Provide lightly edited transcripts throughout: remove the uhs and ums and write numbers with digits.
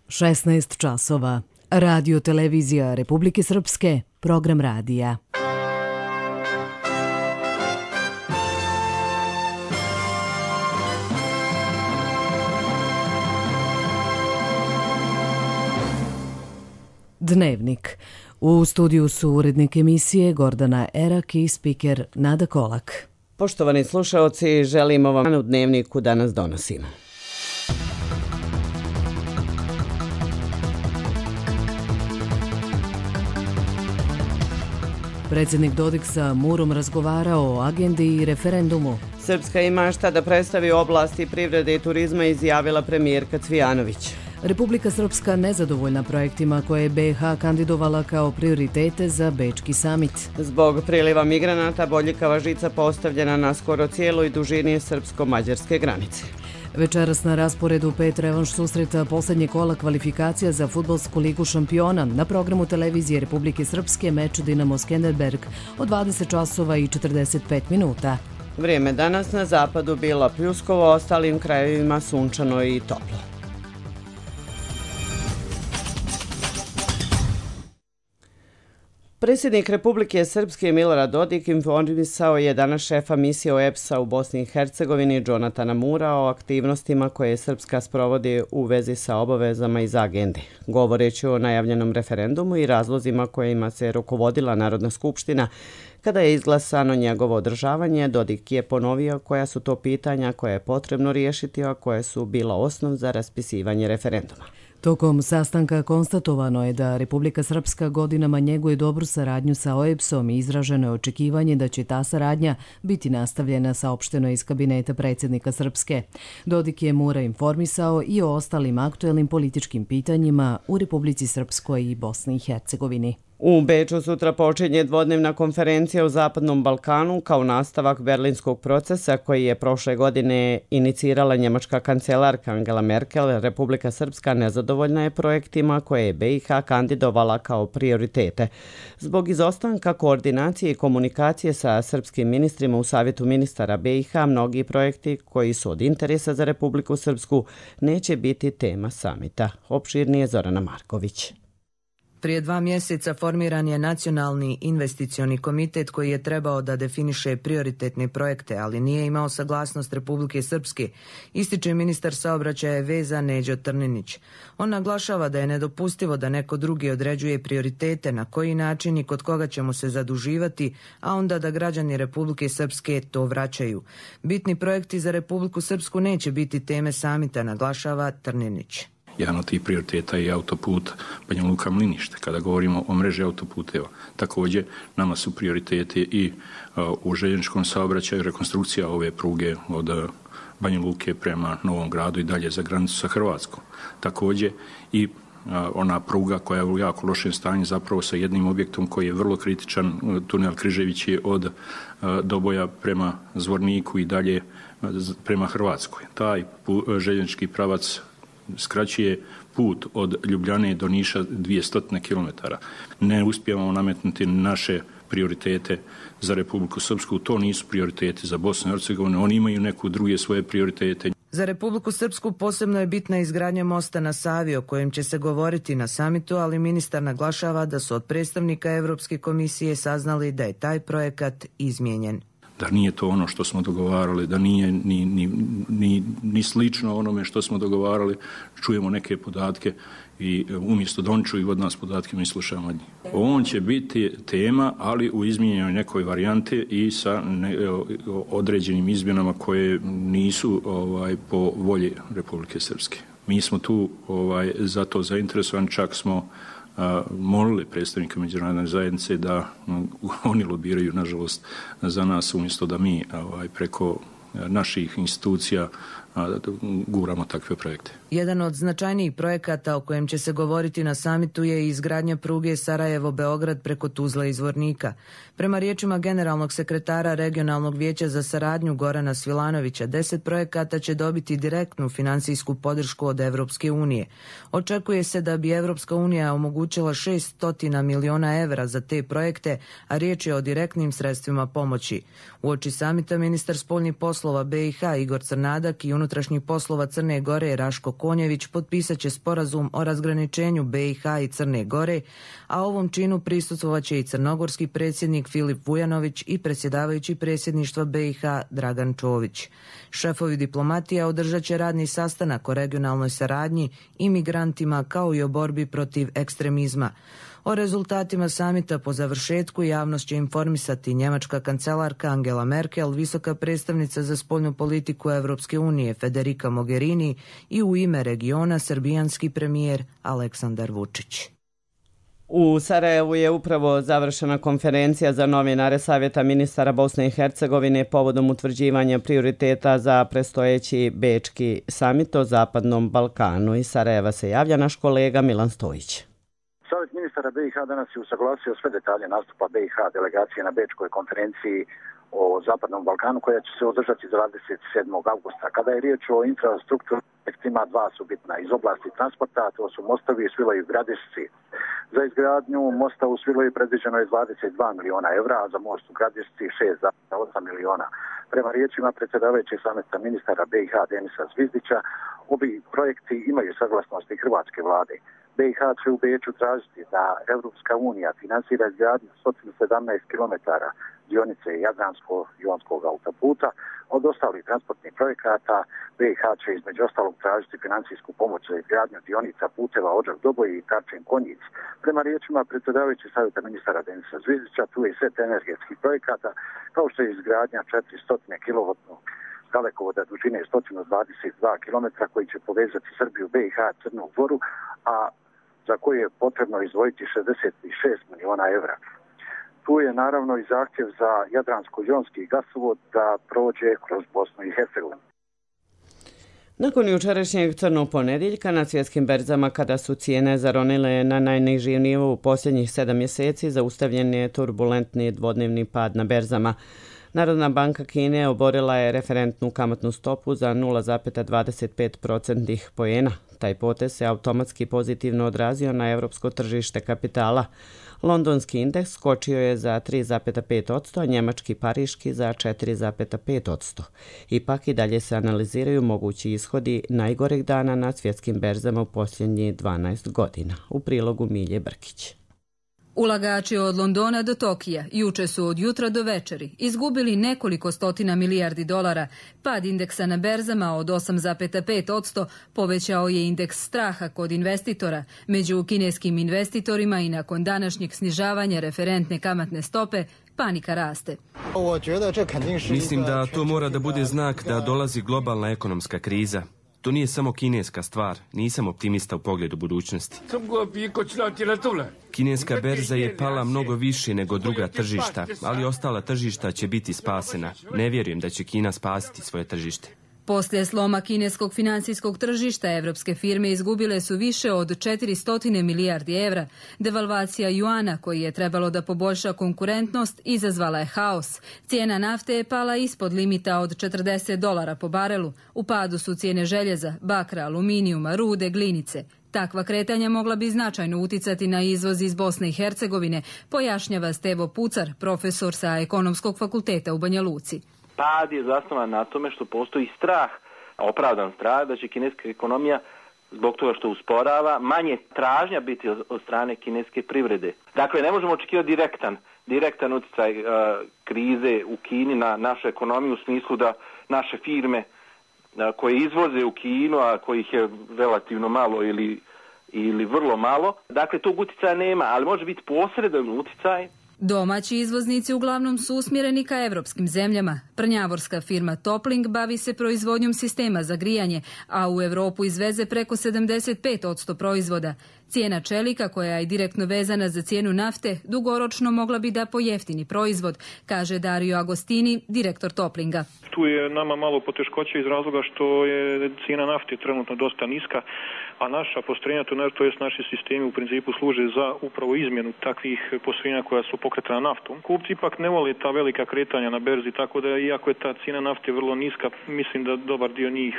16 časova. Radio televizija Republike Srpske, program radija. Dnevnik. U studiju su urednik emisije Gordana Erak i spiker Nada Kolak. Poštovani slušaoci, želimo vam u dnevniku danas donosimo. Predsjednik Dodik sa Murom razgovarao o agendi i referendumu. Srpska ima šta da predstavi u oblasti privrede i turizma, izjavila premijerka Cvijanović. Republika Srpska nezadovoljna projektima koje je BiH kandidovala kao prioritete za Bečki samit. Zbog priliva migranata bodljikava žica postavljena na skoro cijeloj dužini srpsko-mađarske granice. Večeras na rasporedu 5 revanš susreta posljednje kola kvalifikacija za fudbalsku ligu šampiona. Na programu televizije Republike Srpske meč Dinamo Skenderberg od 20 časova i 45 minuta. Vrijeme danas na zapadu bilo pljuskovo, ostalim krajevima sunčano i toplo. Predsjednik Republike Srpske Milorad Dodik informisao je danas šefa misije OEBS-a u Bosni i Hercegovini Džonatana Mura o aktivnostima koje Srpska sprovodi u vezi sa obavezama iz agende. Govoreći o najavljenom referendumu i razlozima kojima se rukovodila Narodna skupština, kada je izglasano njegovo održavanje, Dodik je ponovio koja su to pitanja koje je potrebno riješiti, a koje su bila osnov za raspisivanje referenduma. Tokom sastanka konstatovano je da Republika Srpska godinama njeguje dobru saradnju sa OEBS-om i izraženo je očekivanje da će ta saradnja biti nastavljena, saopšteno iz kabineta predsjednika Srpske. Dodik je Mura informisao i o ostalim aktuelnim političkim pitanjima u Republici Srpskoj i Bosni i Hercegovini. U Beču sutra počinje dvodnevna konferencija o Zapadnom Balkanu kao nastavak berlinskog procesa koji je prošle godine inicirala njemačka kancelarka Angela Merkel. Republika Srpska nezadovoljna je projektima koje je BiH kandidovala kao prioritete. Zbog izostanka koordinacije i komunikacije sa srpskim ministrima u Savjetu ministara BiH, mnogi projekti koji su od interesa za Republiku Srpsku neće biti tema samita. Opširnije Zorana Marković. Prije 2 mjeseca formiran je Nacionalni investicioni komitet koji je trebao da definiše prioritetne projekte, ali nije imao saglasnost Republike Srpske, ističe ministar saobraćaja veza Neđo Trninić. On naglašava da je nedopustivo da neko drugi određuje prioritete, na koji način i kod koga ćemo se zaduživati, a onda da građani Republike Srpske to vraćaju. Bitni projekti za Republiku Srpsku neće biti teme samita, naglašava Trninić. Jedan od tih prioriteta je autoput Banja Luka-Mlinište. Kada govorimo o mreži autoputeva, također nama su prioriteti i u željezničkom saobraćaju rekonstrukcija ove pruge od Banja Luke prema Novom Gradu i dalje za granicu sa Hrvatskom. Također i ona pruga koja je u jako lošem stanju, zapravo sa jednim objektom koji je vrlo kritičan, tunel Križević je od Doboja prema Zvorniku i dalje prema Hrvatskoj. Taj željeznički pravac skraćuje put od Ljubljane do Niša 200 km. Ne uspijevamo nametnuti naše prioritete za Republiku Srpsku. To nisu prioriteti za Bosnu i Hercegovinu. Oni imaju neku druge svoje prioritete. Za Republiku Srpsku posebno je bitna izgradnja mosta na Savi, o kojem će se govoriti na samitu, ali ministar naglašava da su od predstavnika Europske komisije saznali da je taj projekat izmijenjen. Da nije to ono što smo dogovarali, da nije ni slično onome što smo dogovarali, čujemo neke podatke i umjesto da oni čuju od nas podatke, mi slušamo od njih. On će biti tema, ali u izmijenjenoj nekoj varijanti i sa određenim izmjenama koje nisu po volji Republike Srpske. Mi smo tu za to zainteresovani, čak smo molili predstavnika međunarodne zajednice da oni lobiraju, nažalost, za nas umjesto da mi preko naših institucija guramo takve projekte. Jedan od značajnijih projekata o kojem će se govoriti na samitu je izgradnja pruge Sarajevo-Beograd preko Tuzla i Zvornika. Prema riječima generalnog sekretara Regionalnog vijeća za saradnju Gorana Svilanovića, 10 projekata će dobiti direktnu finansijsku podršku od Evropske unije. Očekuje se da bi Evropska unija omogućila 600 miliona evra za te projekte, a riječ je o direktnim sredstvima pomoći. Uoči samita ministar spoljnih poslova BiH Igor Crnadak i unutrašnjih unutrašnjih poslova Crne Gore Raško Konjević potpisat će sporazum o razgraničenju BiH i Crne Gore, a ovom činu prisustvovaće i crnogorski predsjednik Filip Vujanović i predsjedavajući predsjedništva BiH Dragan Čović. Šefovi diplomatija održat će radni sastanak o regionalnoj saradnji, imigrantima kao i o borbi protiv ekstremizma. O rezultatima samita po završetku javnost će informisati njemačka kancelarka Angela Merkel, visoka predstavnica za spoljnu politiku Evropske unije Federica Mogherini i u ime regiona srbijanski premijer Aleksandar Vučić. U Sarajevu je upravo završena konferencija za novinare Savjeta ministara Bosne i Hercegovine povodom utvrđivanja prioriteta za predstojeći Bečki samit o Zapadnom Balkanu. Iz Sarajeva se javlja naš kolega Milan Stojić. Savjet ministara BiH danas je usaglasio sve detalje nastupa BiH delegacije na Bečkoj konferenciji o Zapadnom Balkanu koja će se održati 27. augusta. Kada je riječ o infrastrukturnim projektima, dva su bitna iz oblasti transporta, to su mostovi u Svilaju i Gradišci. Za izgradnju mosta u Svilaju predviđeno je 22 miliona evra, a za most u Gradišci 6,8 miliona. Prema riječima predsjedavajućeg samita ministara BiH Denisa Zvizdića, ovi projekti imaju saglasnosti hrvatske vlade. BiH će u Beču tražiti da Evropska unija finansira izgradnju 117 km dionice Jadransko-jonskog autoputa. Od ostalih transportnih projekata BiH će između ostalog tražiti financijsku pomoć za izgradnju dionica puteva Odžak-Doboj i Karčin-Konjic. Prema riječima predsjedavajućeg savjeta ministara Denisa Zvizdića, tu je set energetskih projekata kao što je izgradnja 400 kV dalekovoda dužine 122 km koji će povezati Srbiju, BiH, Crnu Goru, a za koje je potrebno izdvojiti 66 miliona evra. Tu je naravno i zahtjev za Jadransko-jonski gasovod da prođe kroz Bosnu i Hercegovinu. Nakon jučerašnjeg crnog ponedjeljka na svjetskim berzama, kada su cijene zaronile na najniži nivo u posljednjih 7 mjeseci, zaustavljen je turbulentni dvodnevni pad na berzama. Narodna banka Kine oborila je referentnu kamatnu stopu za 0,25% poena. Taj potez se automatski pozitivno odrazio na europsko tržište kapitala. Londonski indeks skočio je za 3,5%, a njemački pariški za 4,5%. Ipak i dalje se analiziraju mogući ishodi najgoreg dana na svjetskim berzama u posljednjih 12 godina. U prilogu Milje Brkić. Ulagači od Londona do Tokija juče su od jutra do večeri izgubili nekoliko stotina milijardi dolara. Pad indeksa na berzama od 8,5% povećao je indeks straha kod investitora. Među kineskim investitorima i nakon današnjeg snižavanja referentne kamatne stope, panika raste. Mislim da to mora da bude znak da dolazi globalna ekonomska kriza. To nije samo kineska stvar, nisam optimista u pogledu budućnosti. Kineska berza je pala mnogo više nego druga tržišta, ali ostala tržišta će biti spasena. Ne vjerujem da će Kina spasiti svoje tržište. Poslije sloma kineskog financijskog tržišta, evropske firme izgubile su više od 400 milijardi evra. Devalvacija juana, koji je trebalo da poboljša konkurentnost, izazvala je haos. Cijena nafte je pala ispod limita od $40 po barelu. U padu su cijene željeza, bakra, aluminijuma, rude, glinice. Takva kretanja mogla bi značajno uticati na izvoz iz Bosne i Hercegovine, pojašnjava Stevo Pucar, profesor sa Ekonomskog fakulteta u Banja Luci. Pad je zasnovan na tome što postoji strah, opravdan strah, da će kineska ekonomija zbog toga što usporava manje tražnja biti od strane kineske privrede. Dakle, ne možemo očekivati direktan utjecaj krize u Kini na našu ekonomiju u smislu da naše firme koje izvoze u Kinu, a kojih je relativno malo ili vrlo malo, dakle tog utjecaja nema, ali može biti posredan utjecaj. Domaći izvoznici uglavnom su usmjereni ka evropskim zemljama. Prnjavorska firma Topling bavi se proizvodnjom sistema za grijanje, a u Europu izveze preko 75% proizvoda. Cijena čelika, koja je direktno vezana za cijenu nafte, dugoročno mogla bi da pojeftini proizvod, kaže Dario Agostini, direktor Toplinga. Tu je nama malo poteškoće iz razloga što je cijena nafte trenutno dosta niska, a naša postrojenja, to jest naši sistemi u principu služe za upravo izmjenu takvih postrojenja koja su pokretana naftom. Kupci ipak ne vole ta velika kretanja na berzi, tako da iako je ta cijena nafte vrlo niska, mislim da dobar dio njih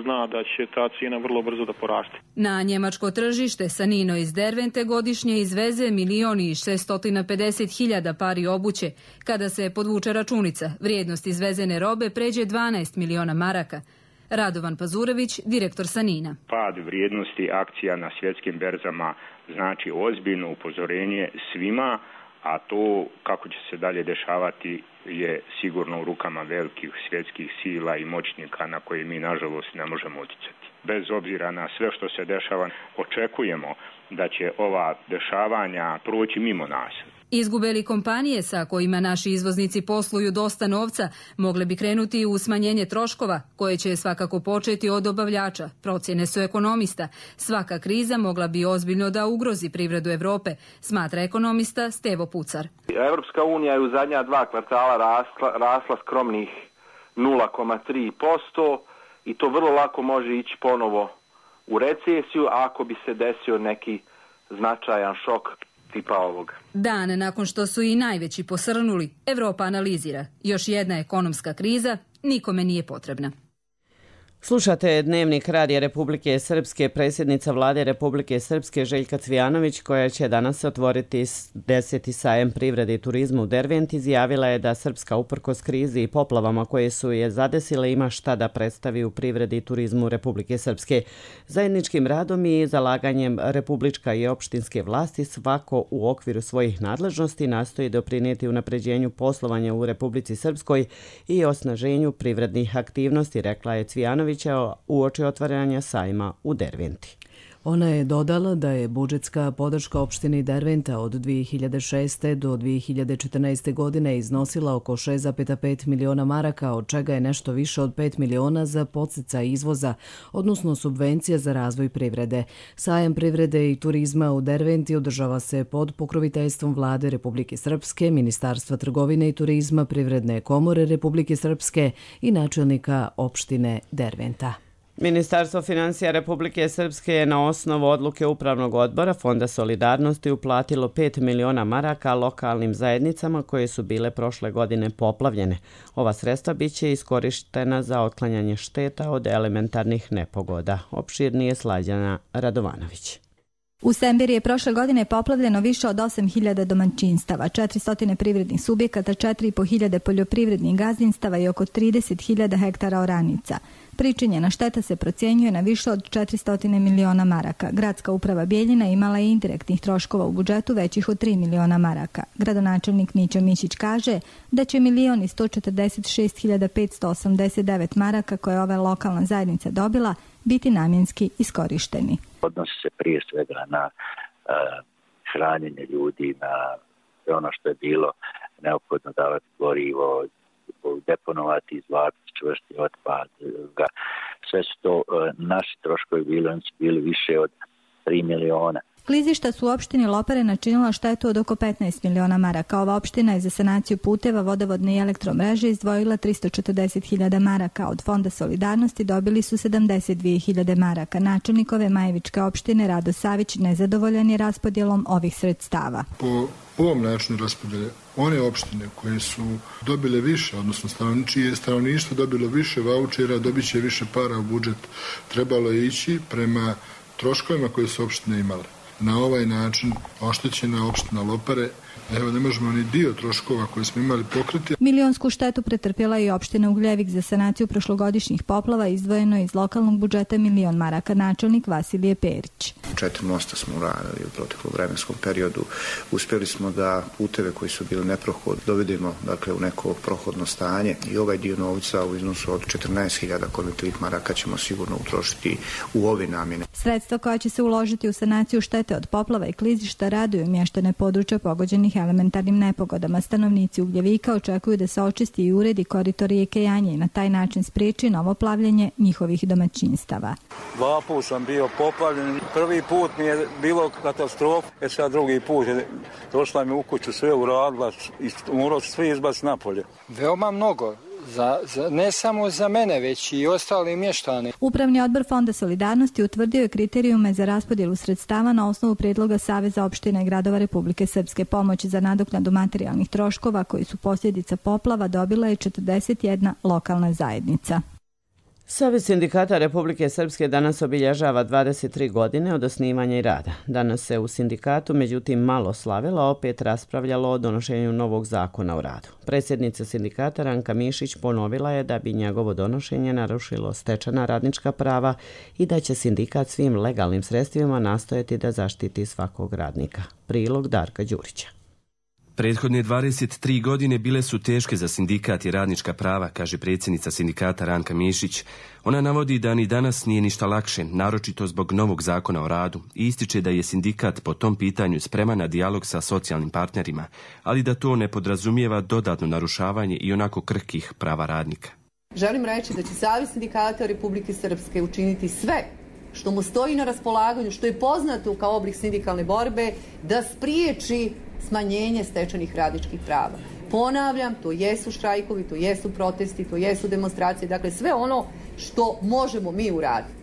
zna da će ta cijena vrlo brzo da poraste. Na njemačko tržište Sanino iz Dervente godišnje izveze 1.650.000 pari obuće. Kada se podvuče računica, vrijednost izvezene robe pređe 12 miliona maraka. Radovan Pazurević, direktor Sanina. Pad vrijednosti akcija na svjetskim berzama znači ozbiljno upozorenje svima, a to kako će se dalje dešavati je sigurno u rukama velikih svjetskih sila i moćnika na koje mi nažalost ne možemo utjecati. Bez obzira na sve što se dešava, očekujemo da će ova dešavanja proći mimo nas. Izgube li kompanije sa kojima naši izvoznici posluju dosta novca mogle bi krenuti u smanjenje troškova, koje će svakako početi od dobavljača, procjene su ekonomista. Svaka kriza mogla bi ozbiljno da ugrozi privredu Evrope, smatra ekonomista Stevo Pucar. Evropska unija je u zadnja 2 kvartala rasla skromnih 0,3% i to vrlo lako može ići ponovo u recesiju ako bi se desio neki značajan šok tipa ovog. Dan nakon što su i najveći posrnuli, Evropa analizira. Još jedna ekonomska kriza nikome nije potrebna. Slušate Dnevnik Radija Republike Srpske. Predsjednica Vlade Republike Srpske Željka Cvijanović, koja će danas otvoriti 10. sajam privrede i turizma u Derventi, izjavila je da Srpska uprkos krizi i poplavama koje su je zadesile ima šta da predstavi u privredi i turizmu Republike Srpske. Zajedničkim radom i zalaganjem republička i opštinske vlasti svako u okviru svojih nadležnosti nastoji doprinijeti unapređenju poslovanja u Republici Srpskoj i osnaženju privrednih aktivnosti, rekla je Cvijanović uoči otvaranja sajma u Derventi. Ona je dodala da je budžetska podrška opštini Derventa od 2006. do 2014. godine iznosila oko 6,5 miliona maraka, od čega je nešto više od 5 miliona za podsticaj izvoza, odnosno subvencija za razvoj privrede. Sajam privrede i turizma u Derventi održava se pod pokroviteljstvom Vlade Republike Srpske, Ministarstva trgovine i turizma, Privredne komore Republike Srpske i načelnika opštine Derventa. Ministarstvo financija Republike Srpske je na osnovu odluke Upravnog odbora Fonda solidarnosti uplatilo 5 miliona maraka lokalnim zajednicama koje su bile prošle godine poplavljene. Ova sredstva biće iskorištena za otklanjanje šteta od elementarnih nepogoda. Opširnije Slađana Radovanović. U Sembiri je prošle godine poplavljeno više od 8.000 domaćinstava, 400 privrednih subjekata, 4.500 poljoprivrednih gazdinstava i oko 30.000 hektara oranica. Pričinjena šteta se procjenjuje na više od 400 miliona maraka. Gradska uprava Bijeljina imala je indirektnih troškova u budžetu većih od 3 miliona maraka. Gradonačelnik Mićo Mišić kaže da će 1.146.589 maraka koje je ova lokalna zajednica dobila biti namjenski iskorišteni. Odnosi se prije svega na hranjenje ljudi, na ono što je bilo neophodno davati gorivo, deponovati, izvlačiti čvrsti otpad. Sve su to naši troškovi bili, oni su bili više od 3 miliona. Klizišta su u opštini Lopare načinila štetu od oko 15 miliona maraka. Ova opština je za sanaciju puteva, vodovodne i elektromreže izdvojila 340.000 maraka. Od Fonda solidarnosti dobili su 72.000 maraka. Načelnik ove Majevičke opštine Rado Savić nezadovoljan je raspodjelom ovih sredstava. Po ovom načinu raspodjele, one opštine koje su dobile više, odnosno čije stanovništvo dobilo više vaučera, dobit će više para u budžet. Trebalo je ići prema troškovima koje su opštine imale. Na ovaj način oštećena opština Lopare, evo ne možemo ni dio troškova koje smo imali pokriti. Milionsku štetu pretrpjela i opština Ugljevik. Za sanaciju prošlogodišnjih poplava izdvojeno iz lokalnog budžeta 1 milion maraka. Načelnik Vasilije Perić. 4 mosta smo uradili u proteklom vremenskom periodu. Uspjeli smo da puteve koji su bili neprohodni dovedemo u neko prohodno stanje i ovaj dio novca u iznosu od 14.000 konvertivnih maraka ćemo sigurno utrošiti u ove namjene. Sredstva koja će se uložiti u sanaciju štete od poplava i klizišta raduju mještane područja pogođenih elementarnim nepogodama. Stanovnici Ugljevika očekuju da se očisti i uredi koridor rijeke Janje i na taj način spriječi novo plavljenje njihovih domaćinstava. 2 put sam bio poplavljen. Prvi put mi je bilo katastrofa, sad drugi put je došla mi u kuću, sve uradila i morao sve izbaciti napolje. Veoma mnogo. Ne samo za mene, već i ostali mještani. Upravni odbor Fonda solidarnosti utvrdio je kriterijume za raspodjelu sredstava na osnovu prijedloga Saveza opština i gradova Republike Srpske. Pomoć za nadoknadu materijalnih troškova koji su posljedica poplava dobila je 41 lokalna zajednica. Savez sindikata Republike Srpske danas obilježava 23 godine od osnivanja i rada. Danas se u sindikatu, međutim, malo slavilo, opet raspravljalo o donošenju novog zakona o radu. Predsjednica sindikata Ranka Mišić ponovila je da bi njegovo donošenje narušilo stečena radnička prava i da će sindikat svim legalnim sredstvima nastojati da zaštiti svakog radnika. Prilog Darka Đurića. Prethodne 23 godine bile su teške za sindikat i radnička prava, kaže predsjednica sindikata Ranka Mišić. Ona navodi da ni danas nije ništa lakše, naročito zbog novog zakona o radu, i ističe da je sindikat po tom pitanju spreman na dijalog sa socijalnim partnerima, ali da to ne podrazumijeva dodatno narušavanje i onako krhkih prava radnika. Želim reći da će Savez sindikata Republike Srpske učiniti sve što mu stoji na raspolaganju, što je poznato kao oblik sindikalne borbe, da spriječi smanjenje stečenih radničkih prava. Ponavljam, to jesu štrajkovi, to jesu protesti, to jesu demonstracije, dakle sve ono što možemo mi uraditi.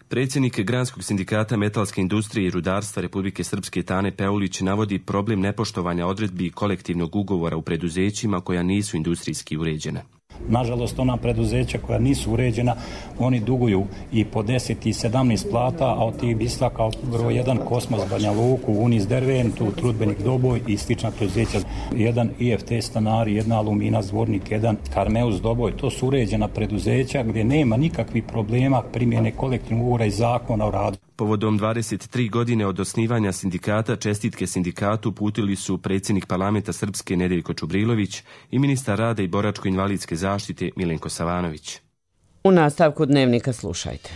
Predsjednik Granskog sindikata metalske industrije i rudarstva Republike Srpske Tane Peulić navodi problem nepoštovanja odredbi kolektivnog ugovora u preduzećima koja nisu industrijski uređena. Nažalost, ona preduzeća koja nisu uređena, oni duguju i po 10 i 17 plata, a od tih bi istakao broj 1 Kosmos Banja Luku, Unis Derventu, Trudbenik Doboj i slična preduzeća. Jedan IFT Stanari, jedna Alumina Zvornik, jedan Karmeus Doboj. To su uređena preduzeća gdje nema nikakvih problema primjene kolektivnog ugovora i zakona o radu. Povodom 23 godine od osnivanja sindikata, čestitke sindikatu uputili su predsjednik parlamenta Srpske Nedeljko Čubrilović i ministar rada i boračko-invalidske zaštite Milenko Savanović. U nastavku dnevnika slušajte.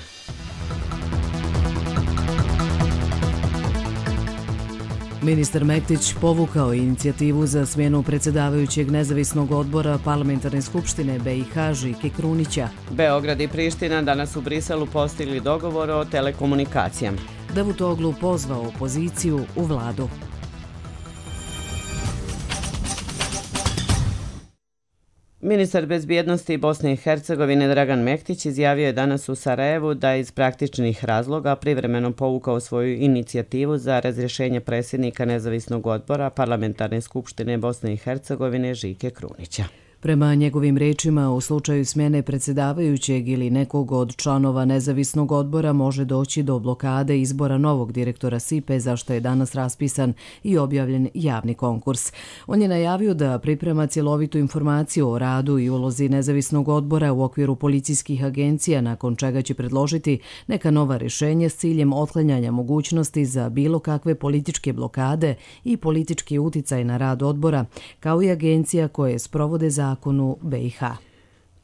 Ministar Mektić povukao inicijativu za smjenu predsjedavajućeg nezavisnog odbora Parlamentarne skupštine BiH Žike Krunića. Beograd i Priština danas u Briselu postigli dogovor o telekomunikacijama. Davutoglu pozvao opoziciju u vladu. Ministar bezbjednosti Bosne i Hercegovine Dragan Mektić izjavio je danas u Sarajevu da iz praktičnih razloga privremeno povukao svoju inicijativu za razrješenje predsjednika nezavisnog odbora Parlamentarne skupštine Bosne i Hercegovine Žike Krunića. Prema njegovim rečima, u slučaju smjene predsjedavajućeg ili nekog od članova nezavisnog odbora može doći do blokade izbora novog direktora SIPE, za što je danas raspisan i objavljen javni konkurs. On je najavio da priprema cjelovitu informaciju o radu i ulozi nezavisnog odbora u okviru policijskih agencija, nakon čega će predložiti neka nova rješenja s ciljem otklanjanja mogućnosti za bilo kakve političke blokade i politički uticaj na rad odbora, kao i agencija koje sprovode zakonu BiH.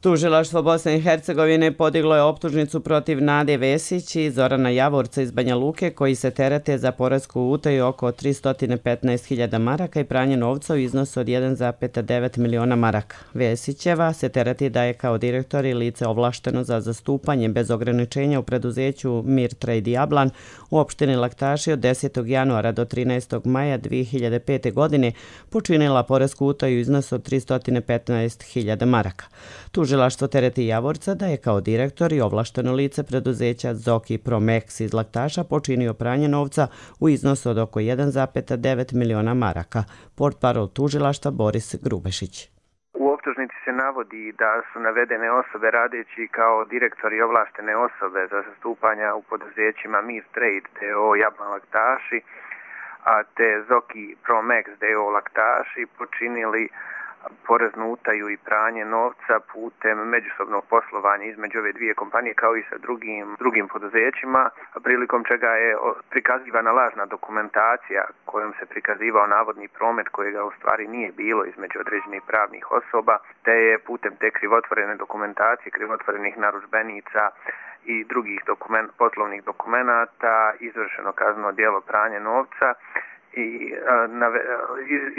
Tužilaštvo Bosne i Hercegovine podiglo je optužnicu protiv Nade Vesić i Zorana Javorca iz Banja Luke, koji se terete za poresku utaju oko 315.000 maraka i pranje novca u iznosu od 1,9 miliona maraka. Vesićeva se tereti da je kao direktor i lice ovlašteno za zastupanje bez ograničenja u preduzeću Mir Trade Jablan u opštini Laktaši od 10. januara do 13. maja 2005. godine počinila poresku utaju u iznosu od 315.000 maraka. Tužilaštvo tereti Javorca da je kao direktor i ovlašteno lice preduzeća Zoki Promex iz Laktaša počinio pranje novca u iznosu od oko 1,9 miliona maraka. Portparol tužilaštva Boris Grubešić. U optužnici se navodi da su navedene osobe radeći kao direktori i ovlaštene osobe za zastupanja u poduzećima Mir Trade D.O. Jablan Laktaši, a te Zoki Promex D.O. Laktaši počinili poreznu utaju i pranje novca putem međusobnog poslovanja između ove dvije kompanije kao i sa drugim poduzećima, prilikom čega je prikazivana lažna dokumentacija kojom se prikazivao navodni promet kojega u stvari nije bilo između određenih pravnih osoba, te je putem te krivotvorene dokumentacije, krivotvorenih narudžbenica i drugih poslovnih dokumenata izvršeno kazneno djelo pranja novca i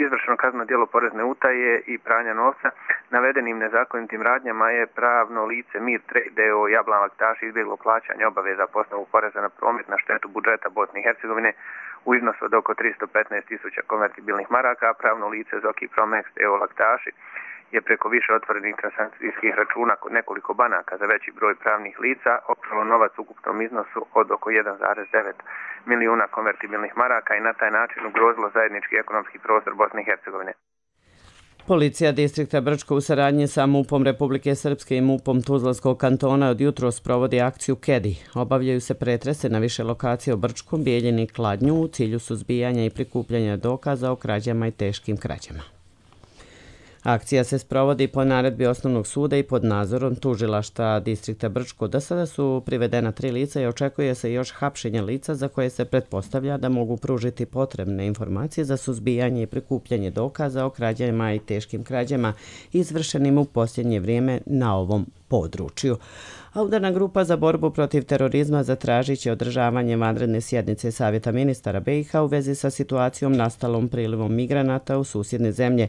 izvršeno kazneno djelo porezne utaje i pranja novca. Navedenim nezakonitim radnjama je pravno lice Mir Trade D.O. Jablan Laktaši izbjeglo plaćanje obaveza po osnovu poreza na promet na štetu budžeta Bosne i Hercegovine u iznosu od oko 315.000 konvertibilnih maraka, a pravno lice Zoki Promex D.O. Laktaši je preko više otvorenih transakcijskih računa kod nekoliko banaka za veći broj pravnih lica opralo novac u ukupnom iznosu od oko 1,9 milijuna konvertibilnih maraka i na taj način ugrozilo zajednički ekonomski prostor Bosne i Hercegovine. Policija distrikta Brčko u saradnji sa MUP-om Republike Srpske i MUP-om Tuzlanskog kantona od jutros provodi akciju Kedi. Obavljaju se pretrese na više lokacije u Brčkom, Bijeljini i Kladnju u cilju suzbijanja i prikupljanja dokaza o krađama i teškim krađama. Akcija se sprovodi po naredbi Osnovnog suda i pod nadzorom tužilaštva distrikta Brčko. Do sada su privedena 3 lica i očekuje se još hapšenje lica za koje se pretpostavlja da mogu pružiti potrebne informacije za suzbijanje i prikupljanje dokaza o krađama i teškim krađama izvršenim u posljednje vrijeme na ovom području. A udarna grupa za borbu protiv terorizma zatražit će održavanje vanredne sjednice Savjeta ministara BiH u vezi sa situacijom nastalom prilivom migranata u susjedne zemlje,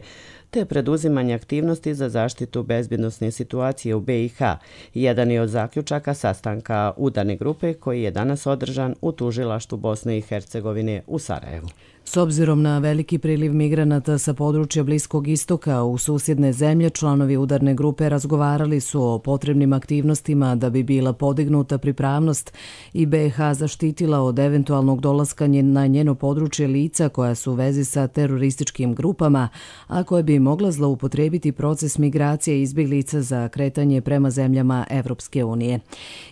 te preduzimanje aktivnosti za zaštitu bezbjednosne situacije u BiH. Jedan je od zaključaka sastanka udarne grupe koji je danas održan u tužilaštvu Bosne i Hercegovine u Sarajevu. S obzirom na veliki priliv migranata sa područja Bliskog istoka u susjedne zemlje, članovi udarne grupe razgovarali su o potrebnim aktivnostima da bi bila podignuta pripravnost i BiH zaštitila od eventualnog dolaska na njeno područje lica koja su u vezi sa terorističkim grupama, a koje bi mogla zloupotrijebiti proces migracije izbjeglica za kretanje prema zemljama Evropske unije.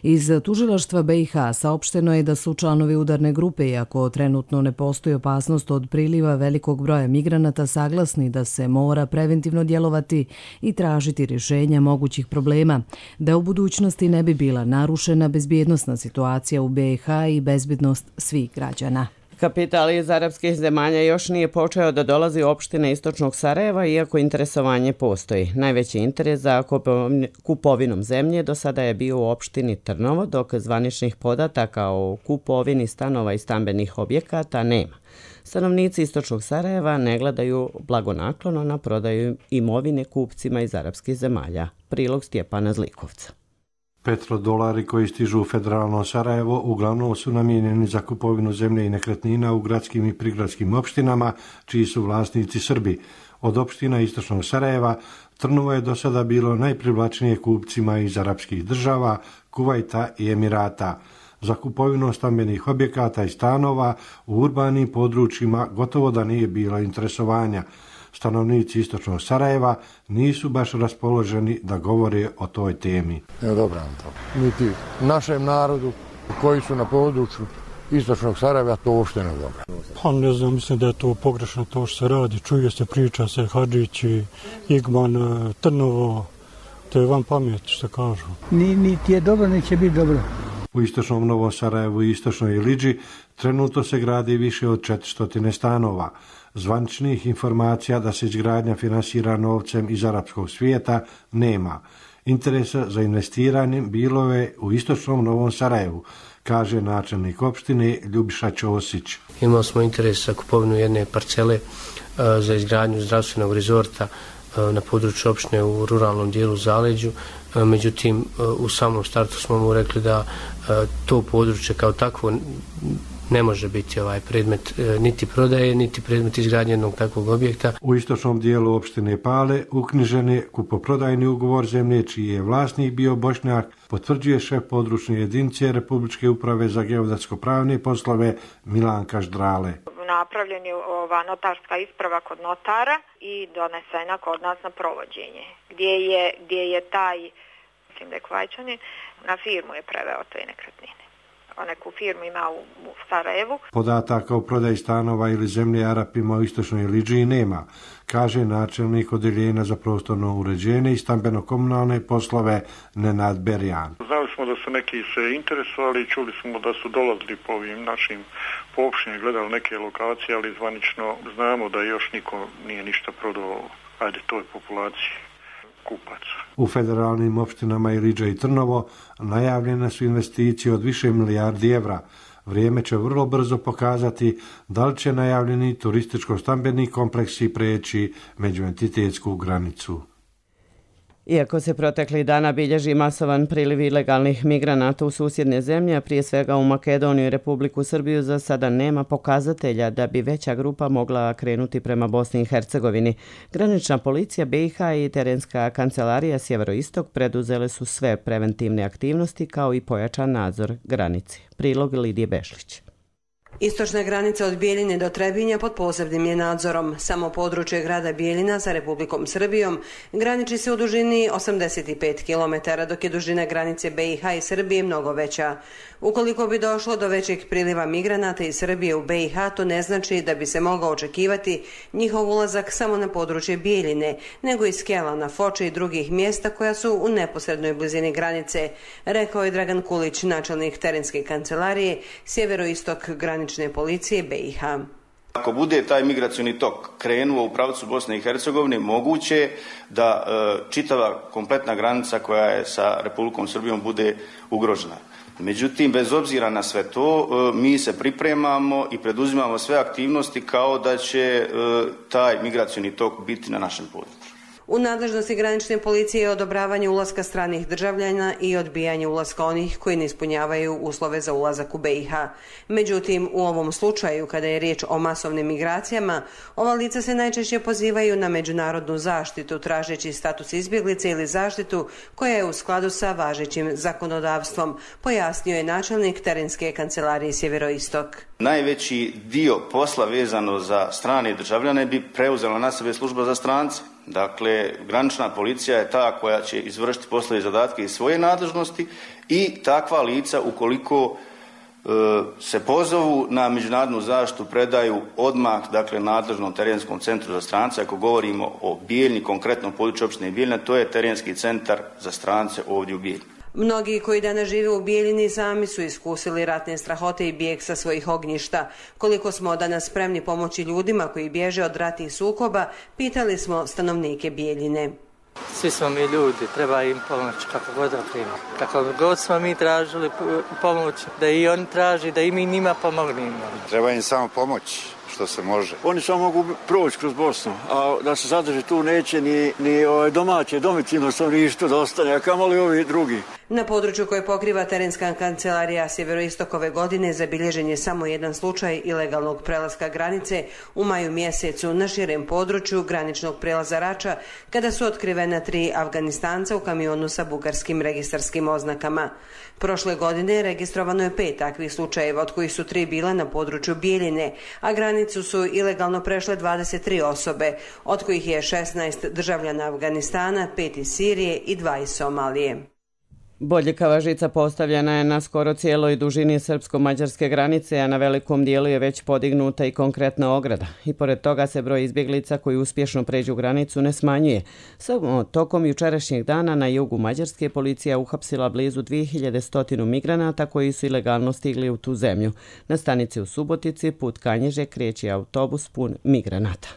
Iz tužilaštva BiH saopšteno je da su članovi udarne grupe, iako trenutno ne postoji opasnost od priliva velikog broja migranata, saglasni da se mora preventivno djelovati i tražiti rješenja mogućih problema, da u budućnosti ne bi bila narušena bezbjednosna situacija u BiH i bezbjednost svih građana. Kapital iz arapskih zemalja još nije počeo da dolazi u opštine istočnog Sarajeva, iako interesovanje postoji. Najveći interes za kupovinom zemlje do sada je bio u opštini Trnovo, dok zvaničnih podataka o kupovini stanova i stambenih objekata nema. Stanovnici istočnog Sarajeva ne gledaju blagonaklono na prodaju imovine kupcima iz arapskih zemalja. Prilog Stjepana Zlikovca. Petrodolari koji stižu u federalno Sarajevo uglavnom su namijenjeni za kupovinu zemlje i nekretnina u gradskim i prigradskim opštinama, čiji su vlasnici Srbi. Od opština istočnog Sarajeva, Trnovo je do sada bilo najprivlačnije kupcima iz arapskih država, Kuvajta i Emirata. Za kupovinu stambenih objekata i stanova u urbanim područjima gotovo da nije bilo interesovanja. Stanovnici istočnog Sarajeva nisu baš raspoloženi da govore o toj temi. Dobro nam to. Niti našem narodu koji su na području istočnog Sarajeva to uopšte ne dobro. Pa ne znam, mislim da je to pogrešno to što se radi. Čuje se, priča se, Hadžići, Igman, Trnovo, to je van pamet što kažu. Niti je dobro, niti će biti dobro. U istočnom Novom Sarajevu i istočnoj Ilidži trenutno se gradi više od 400 stanova. Zvaničnih informacija da se izgradnja finansira novcem iz arapskog svijeta nema. Interesa za investiranjem bilo je u istočnom Novom Sarajevu, kaže načelnik opštine Ljubiša Ćosić. Imali smo interes za kupovinu jedne parcele za izgradnju zdravstvenog rezorta na području opštine u ruralnom dijelu Zaleđu. Međutim, u samom startu smo mu rekli da to područje kao takvo ne može biti predmet niti prodaje, niti predmet izgradnje jednog takvog objekta. U istočnom dijelu opštine Pale uknjižen je kupoprodajni ugovor zemlje čiji je vlasnik bio Bošnjak, potvrđuje šef područne jedinice Republičke uprave za geodetsko-pravne poslove Milanka Ždrale. Napravljen je notarska isprava kod notara i donesena kod nas na provođenje, gdje je taj, mislim da je Kvajčanin, na firmu je preveo te nekretnine. Neku firmu ima u Sarajevu. Podataka o prodaji stanova ili zemlje Arapima u istočnoj Ilidži nema, kaže načelnik odeljenja za prostorno uređenje i stambeno-komunalne poslove Nenad Berjan. Znali smo da su neki se interesovali, čuli smo da su dolazili po ovim našim opštinama, gledali neke lokacije, ali zvanično znamo da još niko nije ništa prodao toj populaciji kupaca. U federalnim opštinama Ilidža i Trnovo najavljene su investicije od više milijardi evra. Vrijeme će vrlo brzo pokazati da li će najavljeni turističko-stambeni kompleksi preći međuentitetsku granicu. Iako se proteklih dana bilježi masovan priliv ilegalnih migranata u susjedne zemlje, a prije svega u Makedoniju i Republiku Srbiju, za sada nema pokazatelja da bi veća grupa mogla krenuti prema Bosni i Hercegovini. Granična policija BiH i terenska kancelarija Sjeveroistok preduzele su sve preventivne aktivnosti kao i pojačan nadzor granice. Prilog Lidije Bešlić. Istočna granica od Bijeljine do Trebinja pod posebnim je nadzorom. Samo područje grada Bijeljina sa Republikom Srbijom graniči se u dužini 85 km, dok je dužina granice BiH i Srbije mnogo veća. Ukoliko bi došlo do većeg priliva migranata iz Srbije u BiH, to ne znači da bi se mogao očekivati njihov ulazak samo na područje Bijeljine, nego i Skelana, Foče i drugih mjesta koja su u neposrednoj blizini granice, rekao je Dragan Kulić, načelnik terenske kancelarije sjeveroistok granične policije BiH. Ako bude taj migracioni tok krenuo u pravcu Bosne i Hercegovine, moguće je da čitava kompletna granica koja je sa Republikom Srbijom bude ugrožena. Međutim, bez obzira na sve to, mi se pripremamo i preduzimamo sve aktivnosti kao da će taj migracioni tok biti na našem području. U nadležnosti granične policije je odobravanje ulaska stranih državljana i odbijanje ulaska onih koji ne ispunjavaju uslove za ulazak u BiH. Međutim, u ovom slučaju, kada je riječ o masovnim migracijama, ova lica se najčešće pozivaju na međunarodnu zaštitu, tražeći status izbjeglice ili zaštitu koja je u skladu sa važećim zakonodavstvom, pojasnio je načelnik terenske kancelarije Sjeveroistok. Najveći dio posla vezano za strane državljane bi preuzela na sebe služba za strance. Dakle, granična policija je ta koja će izvršiti poslove i zadatke iz svoje nadležnosti i takva lica, ukoliko se pozovu na međunarodnu zaštitu, predaju odmah, dakle, nadležnom terenskom centru za strance. Ako govorimo o Bijeljni, konkretnom području opštine Bijeljina, to je terenski centar za strance ovdje u Bijeljini. Mnogi koji danas žive u Bijeljini sami su iskusili ratne strahote i bijeg sa svojih ognjišta. Koliko smo danas spremni pomoći ljudima koji bježe od ratnih sukoba, pitali smo stanovnike Bijeljine. Svi smo mi ljudi, treba im pomoć kako god da prima. Kako god smo mi tražili pomoć, da i oni traži, da i mi njima pomognemo. Treba im samo pomoć što se može. Oni samo mogu proći kroz Bosnu, a da se zadrži tu neće ni domaće, domicilno stanovništvo da ostane, a kamoli ovi drugi. Na području koje pokriva terenska kancelarija Sjeveroistok ove godine zabilježen je samo jedan slučaj ilegalnog prelaska granice u maju mjesecu na širem području graničnog prelaza Rača, kada su otkrivena 3 Afganistanca u kamionu sa bugarskim registarskim oznakama. Prošle godine registrovano je 5 takvih slučajeva, od kojih su 3 bila na području Bijeljine, a granicu su ilegalno prešle 23 osobe, od kojih je 16 državljana Afganistana, 5 iz Sirije i 2 iz Somalije. Bodljikava žica postavljena je na skoro cijeloj dužini srpsko-mađarske granice, a na velikom dijelu je već podignuta i konkretna ograda. I pored toga se broj izbjeglica koji uspješno pređu granicu ne smanjuje. Samo tokom jučerašnjeg dana na jugu Mađarske policija uhapsila blizu 2100 migranata koji su ilegalno stigli u tu zemlju. Na stanici u Subotici put Kanjiže kreće autobus pun migranata.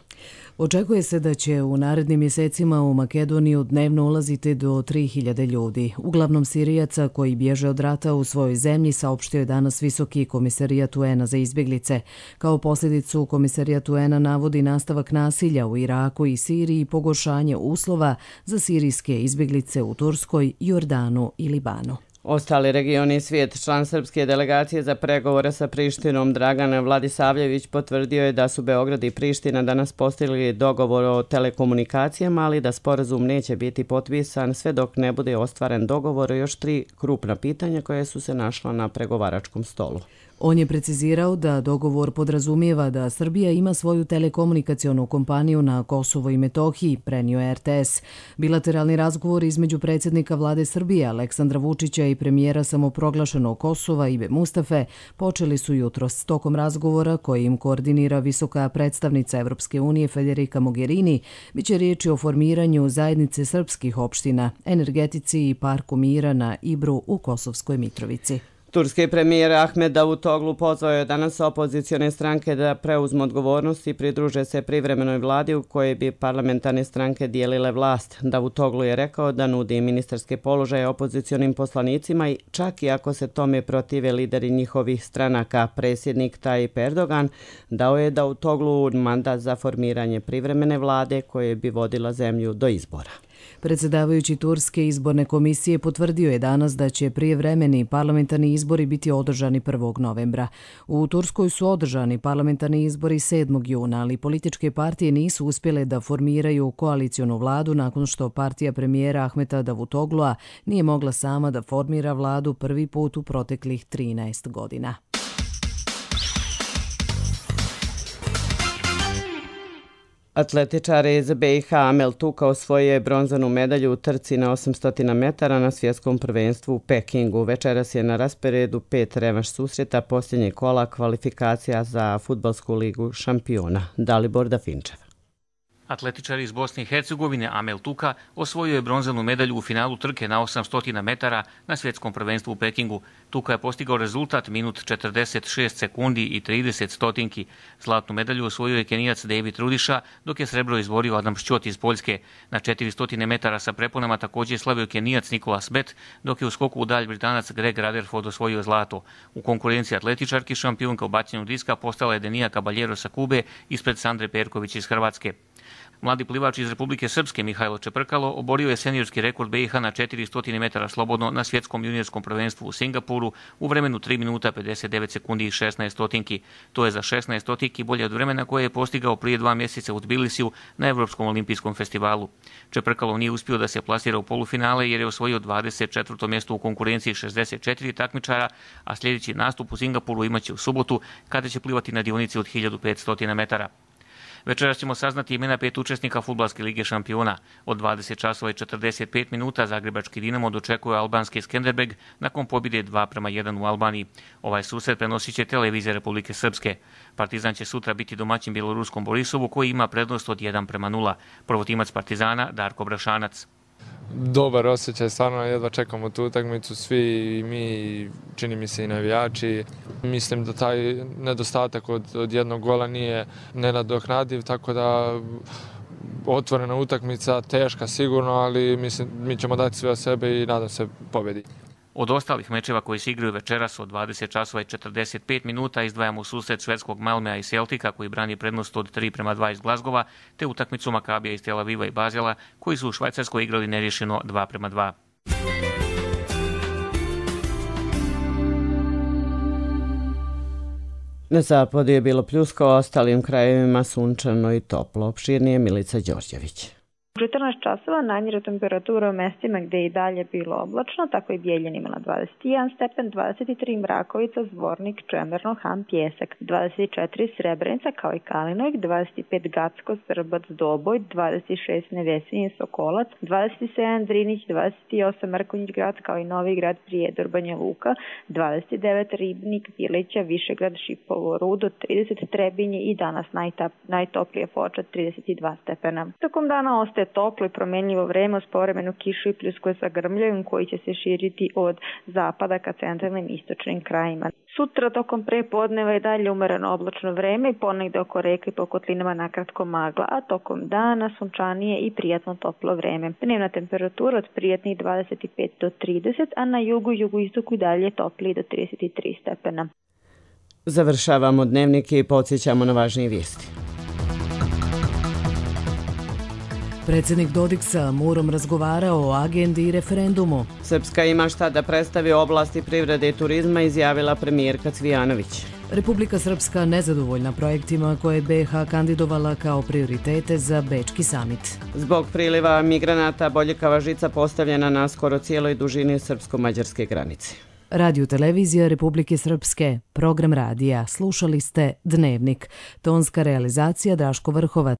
Očekuje se da će u narednim mjesecima u Makedoniju dnevno ulaziti do 3000 ljudi. Uglavnom Sirijaca koji bježe od rata u svojoj zemlji, saopštio je danas Visoki komisarijat UN-a za izbjeglice. Kao posljedicu komisarijat UN-a navodi nastavak nasilja u Iraku i Siriji i pogoršanje uslova za sirijske izbjeglice u Turskoj, Jordanu i Libanu. Ostali regioni i svijet. Član srpske delegacije za pregovore sa Prištinom Dragan Vladisavljević potvrdio je da su Beograd i Priština danas postigli dogovor o telekomunikacijama, ali da sporazum neće biti potpisan sve dok ne bude ostvaren dogovor o još 3 krupna pitanja koje su se našla na pregovaračkom stolu. On je precizirao da dogovor podrazumijeva da Srbija ima svoju telekomunikacionu kompaniju na Kosovo i Metohiji, prenio je RTS. Bilateralni razgovor između predsjednika vlade Srbije Aleksandra Vučića i premijera samoproglašenog Kosova Ibe Mustafe počeli su jutros. Tokom razgovora koji im koordinira visoka predstavnica Evropske unije Federica Mogherini, biće riječi o formiranju zajednice srpskih opština, energetici i parku mira na Ibru u Kosovskoj Mitrovici. Turski premijer Ahmed Davutoglu pozvao je danas opozicione stranke da preuzmu odgovornost i pridruže se privremenoj vladi u kojoj bi parlamentarne stranke dijelile vlast. Davutoglu je rekao da nudi ministarske položaje opozicionim poslanicima i čak i ako se tome protive lideri njihovih stranaka. Predsjednik Tayyip Erdogan dao je Davutoglu mandat za formiranje privremene vlade koje bi vodila zemlju do izbora. Predsjedavajući Turske izborne komisije potvrdio je danas da će prijevremeni parlamentarni izbori biti održani 1. novembra. U Turskoj su održani parlamentarni izbori 7. juna, ali političke partije nisu uspjele da formiraju koalicionu vladu nakon što partija premijera Ahmeta Davutoglua nije mogla sama da formira vladu prvi put u proteklih 13 godina. Atletičar iz BiH Amel Tuka osvojio je bronzanu medalju u trci na 800 metara na svjetskom prvenstvu u Pekingu. Večeras je na rasporedu 5 revanš susreta posljednjeg kola kvalifikacija za Fudbalsku ligu šampiona. Dalibor Dafinčev. Atletičar iz Bosne i Hercegovine Amel Tuka osvojio je bronzanu medalju u finalu trke na 800 metara na svjetskom prvenstvu u Pekingu. Tuka je postigao rezultat minut 46 sekundi i 30 stotinki. Zlatnu medalju osvojio je Kenijac David Rudiša, dok je srebro izborio Adam Šćot iz Poljske. Na 400 metara sa preponama također je slavio Kenijac Nicolas Bet, dok je u skoku u dalj Britanac Greg Rutherford osvojio zlato. U konkurenciji atletičarki šampionka u bacanju diska postala je Denija Caballero sa Kube ispred Sandre Perković iz Hrvatske. Mladi plivač iz Republike Srpske Mihajlo Čeprkalo oborio je seniorski rekord BiH na 400 metara slobodno na svjetskom juniorskom prvenstvu u Singapuru u vremenu 3 minuta 59 sekundi i 16 stotinki. To je za 16 stotinki bolje od vremena koje je postigao prije 2 mjeseca u Tbilisiju na Evropskom olimpijskom festivalu. Čeprkalo nije uspio da se plasira u polufinale jer je osvojio 24. mjesto u konkurenciji 64 takmičara, a sljedeći nastup u Singapuru imaće u subotu kada će plivati na dionici od 1500 metara. Večeras ćemo saznati imena 5 učesnika Fudbalske lige šampiona. Od 20 časova i 45 minuta Zagrebački Dinamo dočekuje albanski Skenderbeg nakon pobjede 2:1 u Albaniji. Ovaj susret prenosit će televizija Republike Srpske. Partizan će sutra biti domaćin bjeloruskom Borisovu koji ima prednost od 1:0. Prvotimac Partizana Darko Brašanac. Dobar osjećaj, stvarno jedva čekamo tu utakmicu, svi mi, čini mi se i navijači. Mislim da taj nedostatak od jednog gola nije nenadoknadiv, tako da otvorena utakmica, teška sigurno, ali mislim mi ćemo dati sve od sebe i nadam se pobjedi. Od ostalih mečeva koji se igraju večeras od 20 časova i 45 minuta izdvajamo susret švedskog Malmea i Celtica koji brani prednost od 3:2 iz Glazgova, te utakmicu Makabija iz Tel Aviva i Bazela koji su u Švajcarskoj igrali neriješeno 2:2. Na zapadu je bilo pljuska, u ostalim krajevima sunčano i toplo. Opširnije Milica Đorđević. U 14 časova najniža temperatura u mestima gdje je i dalje bilo oblačno, tako i Bijeljina imala 21 stepen, 23 Mrakovica, Zvornik, Čemerno, Han, Pjesak, 24 Srebrenica kao i Kalinojk, 25 Gacko, Srbac, Doboj, 26 Nevesinje, Sokolac, 27 Drinić, 28 Mrkonjić grad kao i Novi grad, Prijedor, Banja Luka, 29 Ribnik, Bilića, Višegrad, Šipovo, Rudo, 30 Trebinje i danas najtoplije Foča, 32 stepena. Tokom dana ostaje toplo i promenljivo vreme uz povremenu kišu i pljuskove sa grmljavim koji će se širiti od zapada ka centralnim istočnim krajima. Sutra tokom prepodneva je dalje umereno oblačno vreme i ponegde oko reka i po kotlinama nakratko magla, a tokom dana sunčanije i prijatno toplo vreme. Dnevna temperatura od prijatnih 25 do 30, a na jugu i jugoistoku dalje toplije do 33 stepena. Završavamo dnevnik i podsjećamo na važnije vijesti. Predsjednik Dodik sa Murom razgovarao o agendi i referendumu. Srpska ima šta da predstavi u oblasti privrede i turizma, izjavila premijerka Cvijanović. Republika Srpska nezadovoljna projektima koje je BiH kandidovala kao prioritete za Bečki samit. Zbog priliva migranata boljikava žica postavljena na skoro cijeloj dužini srpsko-mađarske granice. Radio televizija Republike Srpske, program radija. Slušali ste Dnevnik. Tonska realizacija Draško Vrhovac.